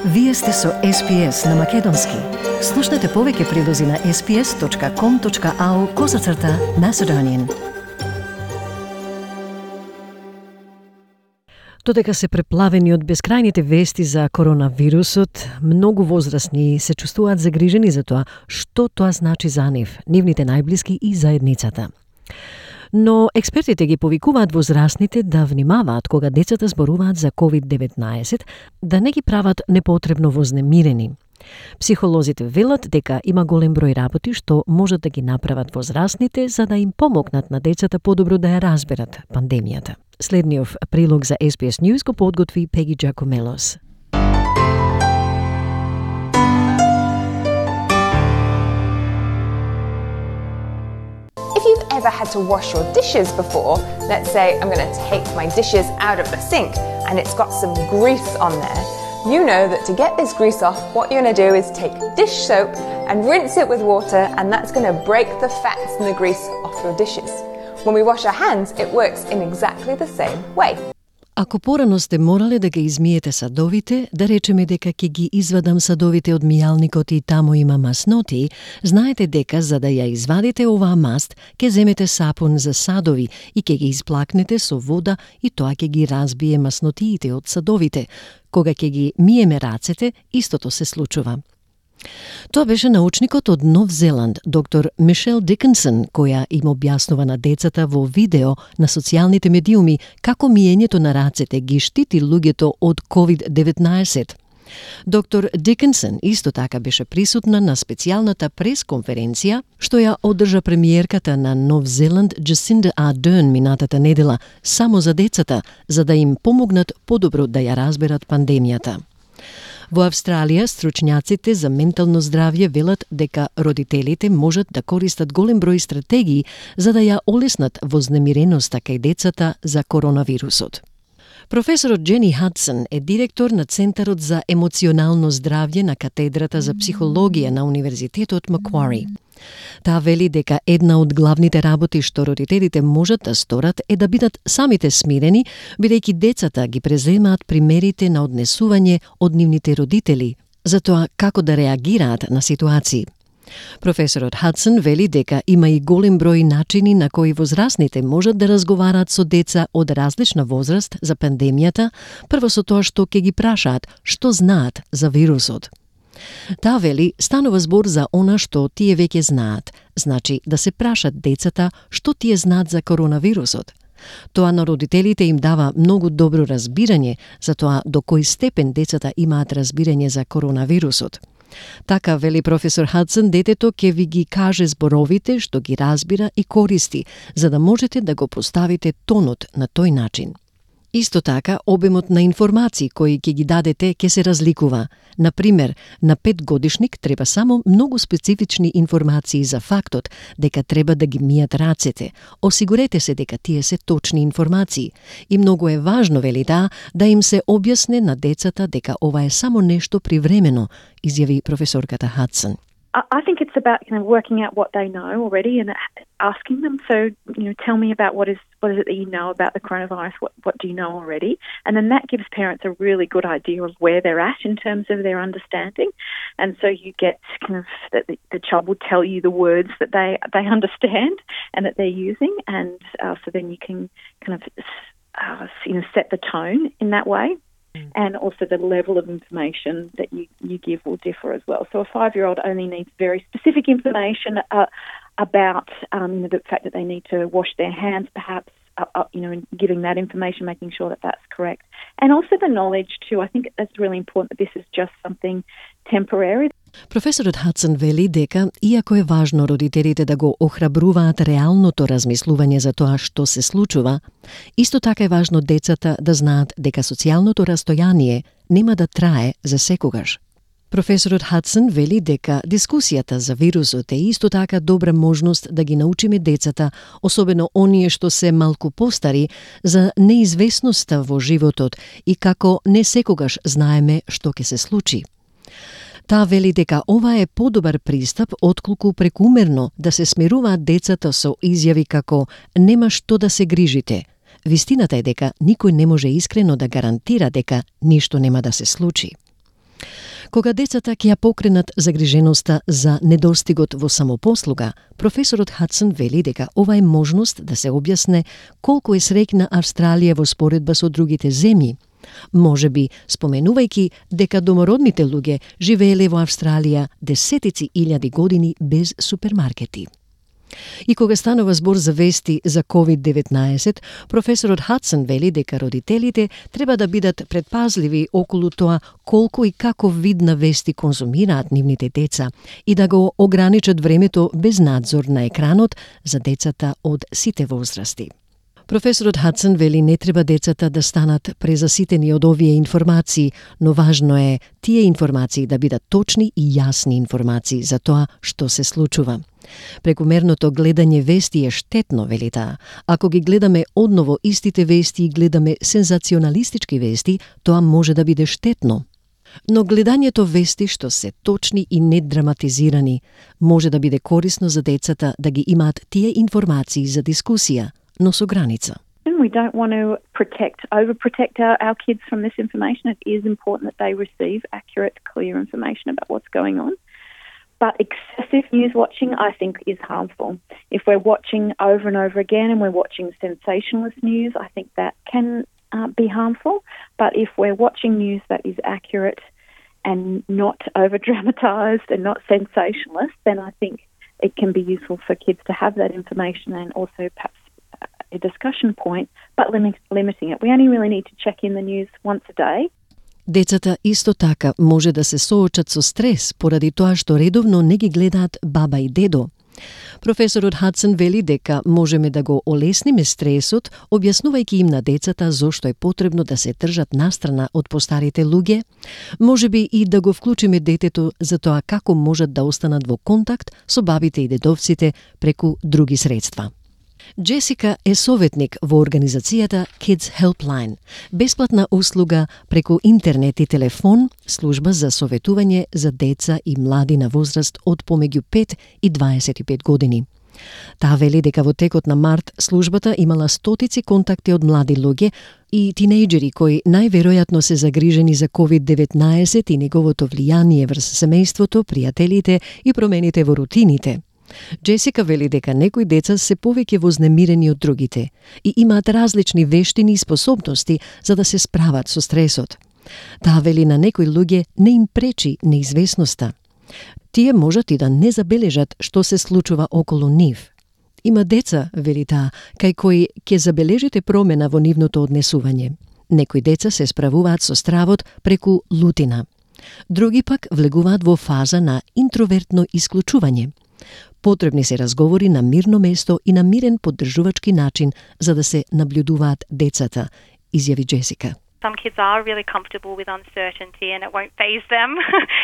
Вие сте со SPS на Македонски. Слушнете повеќе прилози на sps.com.au/Macedonian. Додека се преплавени од бескрајните вести за коронавирусот, многу возрастни се чувствуваат загрижени за тоа што тоа значи за нив, нивните најблиски и заедницата. Но експертите ги повикуваат возрастните да внимаваат кога децата зборуваат за COVID-19, да не ги прават непотребно вознемирени. Психолозите велат дека има голем број работи што можат да ги направат возрастните за да им помогнат на децата подобро да ја разберат пандемијата. Следниот прилог за SBS News го подготви Пеги Джакомелос. If you've ever had to wash your dishes before, let's say I'm going to take my dishes out of the sink and it's got some grease on there, you know that to get this grease off, what you're going to do is take dish soap and rinse it with water, and that's going to break the fats and the grease off your dishes. When we wash our hands, it works in exactly the same way. Ако порано сте морале да ги измиете садовите, да речеме дека ќе ги извадам садовите од мијалникот и таму има масноти, знаете дека за да ја извадите оваа маст, ќе земете сапун за садови и ќе ги исплакнете со вода и тоа ќе ги разбие маснотиите од садовите. Кога ќе ги миеме рацете, истото се случува. Тоа беше научникот од Нов Зеланд, доктор Мишел Дикинсон, која им објаснува на децата во видео на социјалните медиуми како миењето на рацете ги штити луѓето од COVID-19. Доктор Дикинсон исто така беше присутна на специјалната пресконференција што ја одржа премиерката на Нов Зеланд Джасинда Ардерн минатата недела само за децата, за да им помогнат подобро да ја разберат пандемијата. Во Австралија, стручњаците за ментално здравје велат дека родителите можат да користат голем број стратегии за да ја олеснат вознемиреноста кај децата за коронавирусот. Професорот Джени Хадсон е директор на Центарот за емоционално здравје на катедрата за психологија на Универзитетот Маквари. Таа вели дека една од главните работи што родителите можат да сторат е да бидат самите смирени, бидејќи децата ги преземаат примерите на однесување од нивните родители, за тоа како да реагираат на ситуации. Професорот Хадсон вели дека има и голем број начини на кои возрастните можат да разговараат со деца од различна возраст за пандемијата, прво со тоа што ќе ги прашаат што знаат за вирусот. Таа вели станува збор за она што тие веќе знаат, значи да се прашат децата што тие знаат за коронавирусот. Тоа на родителите им дава многу добро разбирање за тоа до кој степен децата имаат разбирање за коронавирусот. Така, вели професор Хадсон, детето ќе ви ги каже зборовите што ги разбира и користи, за да можете да го поставите тонот на тој начин. Исто така, обемот на информации кои ќе ги дадете ќе се разликува. Например, на 5-годишник треба само многу специфични информации за фактот дека треба да ги мијат рацете. Осигурете се дека тие се точни информации. И многу е важно, вели да им се објасне на децата дека ова е само нешто привремено, изјави професорката Хадсон. I think it's about working out what they know already and asking them. So tell me about what is it that you know about the coronavirus? What do you know already? And then that gives parents a really good idea of where they're at in terms of their understanding. And so you get that the child will tell you the words that they understand and that they're using, and so then you can set the tone in that way. And also the level of information that you give will differ as well. So a 5-year-old only needs very specific information about the fact that they need to wash their hands, perhaps, and giving that information, making sure that that's correct. And also the knowledge too. I think it's really important that this is just something temporary. Професорот Хадсон вели дека, иако е важно родителите да го охрабруваат реалното размислување за тоа што се случува, исто така е важно децата да знаат дека социјалното растојание нема да трае за секогаш. Професорот Хадсон вели дека дискусијата за вирусот е исто така добра можност да ги научиме децата, особено оние што се малку постари, за неизвестноста во животот и како не секогаш знаеме што ќе се случи. Таа вели дека ова е подобар пристап отколку прекумерно да се смируваат децата со изјави како нема што да се грижите. Вистината е дека никој не може искрено да гарантира дека ништо нема да се случи. Кога децата ќе ја покренат загриженоста за недостигот во самопослуга, професорот Хадсон вели дека ова е можност да се објасне колку е среќна Австралија во споредба со другите земји, можеби споменувајќи дека домородните луѓе живееле во Австралија десетици илјади години без супермаркети. И кога станува збор за вести за COVID-19, професорот Хадсон вели дека родителите треба да бидат предпазливи околу тоа колку и каков вид на вести конзумираат нивните деца и да го ограничат времето без надзор на екранот за децата од сите возрасти. Професорот Хадсон вели не треба децата да станат презаситени од овие информации, но важно е тие информации да бидат точни и јасни информации за тоа што се случува. Прекумерното гледање вести е штетно, вели таа. Ако ги гледаме одново истите вести и гледаме сензационалистички вести, тоа може да биде штетно. Но гледањето вести што се точни и недраматизирани може да биде корисно за децата да ги имаат тие информации за дискусија, но со граница. We don't want to overprotect our kids from this information. It is important that they receive accurate, clear information about what's going on. But excessive news watching, I think, is harmful. If we're watching over and over again and we're watching sensationalist news, I think that can be harmful. But if we're watching news that is accurate and not over-dramatised and not sensationalist, then I think it can be useful for kids to have that information and also perhaps a discussion point, but limiting it. We only really need to check in the news once a day. Децата исто така може да се соочат со стрес поради тоа што редовно не ги гледаат баба и дедо. Професорот Хадсон вели дека можеме да го олесниме стресот, објаснувајќи им на децата зошто е потребно да се држат настрана од постарите луѓе, можеби и да го вклучиме детето за тоа како можат да останат во контакт со бабите и дедовците преку други средства. Джесика е советник во организацијата Kids Helpline, бесплатна услуга преку интернет и телефон, служба за советување за деца и млади на возраст од помеѓу 5 и 25 години. Таа вели дека во текот на март службата имала стотици контакти од млади луѓе и тинејџери кои најверојатно се загрижени за COVID-19 и неговото влијание врз семејството, пријателите и промените во рутините. Джесика вели дека некои деца се повеќе вознемирени од другите и имаат различни вештини и способности за да се справат со стресот. Таа вели на некои луѓе не им пречи неизвестноста. Тие можат и да не забележат што се случува околу нив. Има деца, вели таа, кај кои ќе забележите промена во нивното однесување. Некои деца се справуваат со стравот преку лутина. Други пак влегуваат во фаза на интровертно исклучување. Потребни се разговори на мирно место и на мирен поддржувачки начин за да се наблюдуваат децата, изјави Джесика. Some kids are really comfortable with uncertainty and it won't faze them.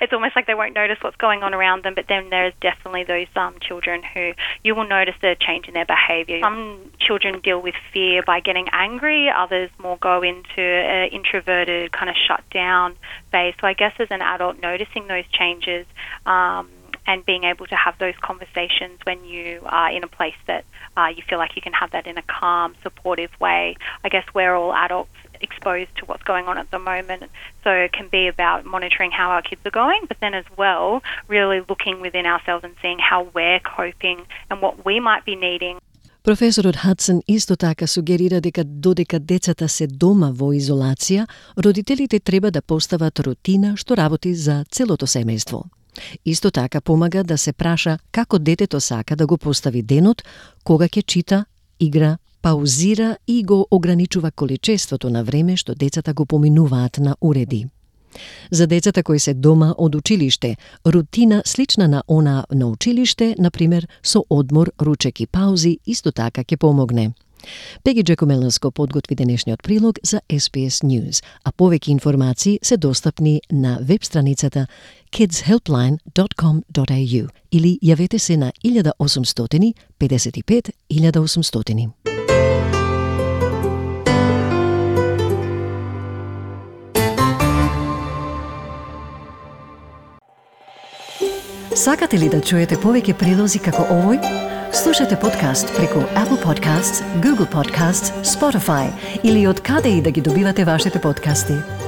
It's almost like they won't notice what's going on around them, but then there's definitely those children who you will notice a change in their behaviour. Some children deal with fear by getting angry, others more go into an introverted kind of shut down phase. So I guess as an adult noticing those changes and being able to have those conversations when you are in a place that you feel like you can have that in a calm, supportive way. I guess we're all adults exposed to what's going on at the moment. So it can be about monitoring how our kids are going, but then as well, really looking within ourselves and seeing how we're coping and what we might be needing. Професорот Хадсон исто така сугерира дека додека децата се дома во изолација, родителите треба да постават рутина што работи за целото семејство. Исто така помага да се праша како детето сака да го постави денот, кога ќе чита, игра, паузира и го ограничува количеството на време што децата го поминуваат на уреди. За децата кои се дома од училиште, рутина слична на она на училиште, например со одмор, ручек и паузи, исто така ќе помогне. Пеги Джекомеланско подготви денешниот прилог за SBS News, а повеќе информации се достапни на веб страницата kidshelpline.com.au или јавете се на 1800 55 1800. Сакате ли да чуете повеќе прилози како овој? Слушате подкаст преку Apple Podcasts, Google Podcasts, Spotify или од каде и да ги добивате вашите подкасти.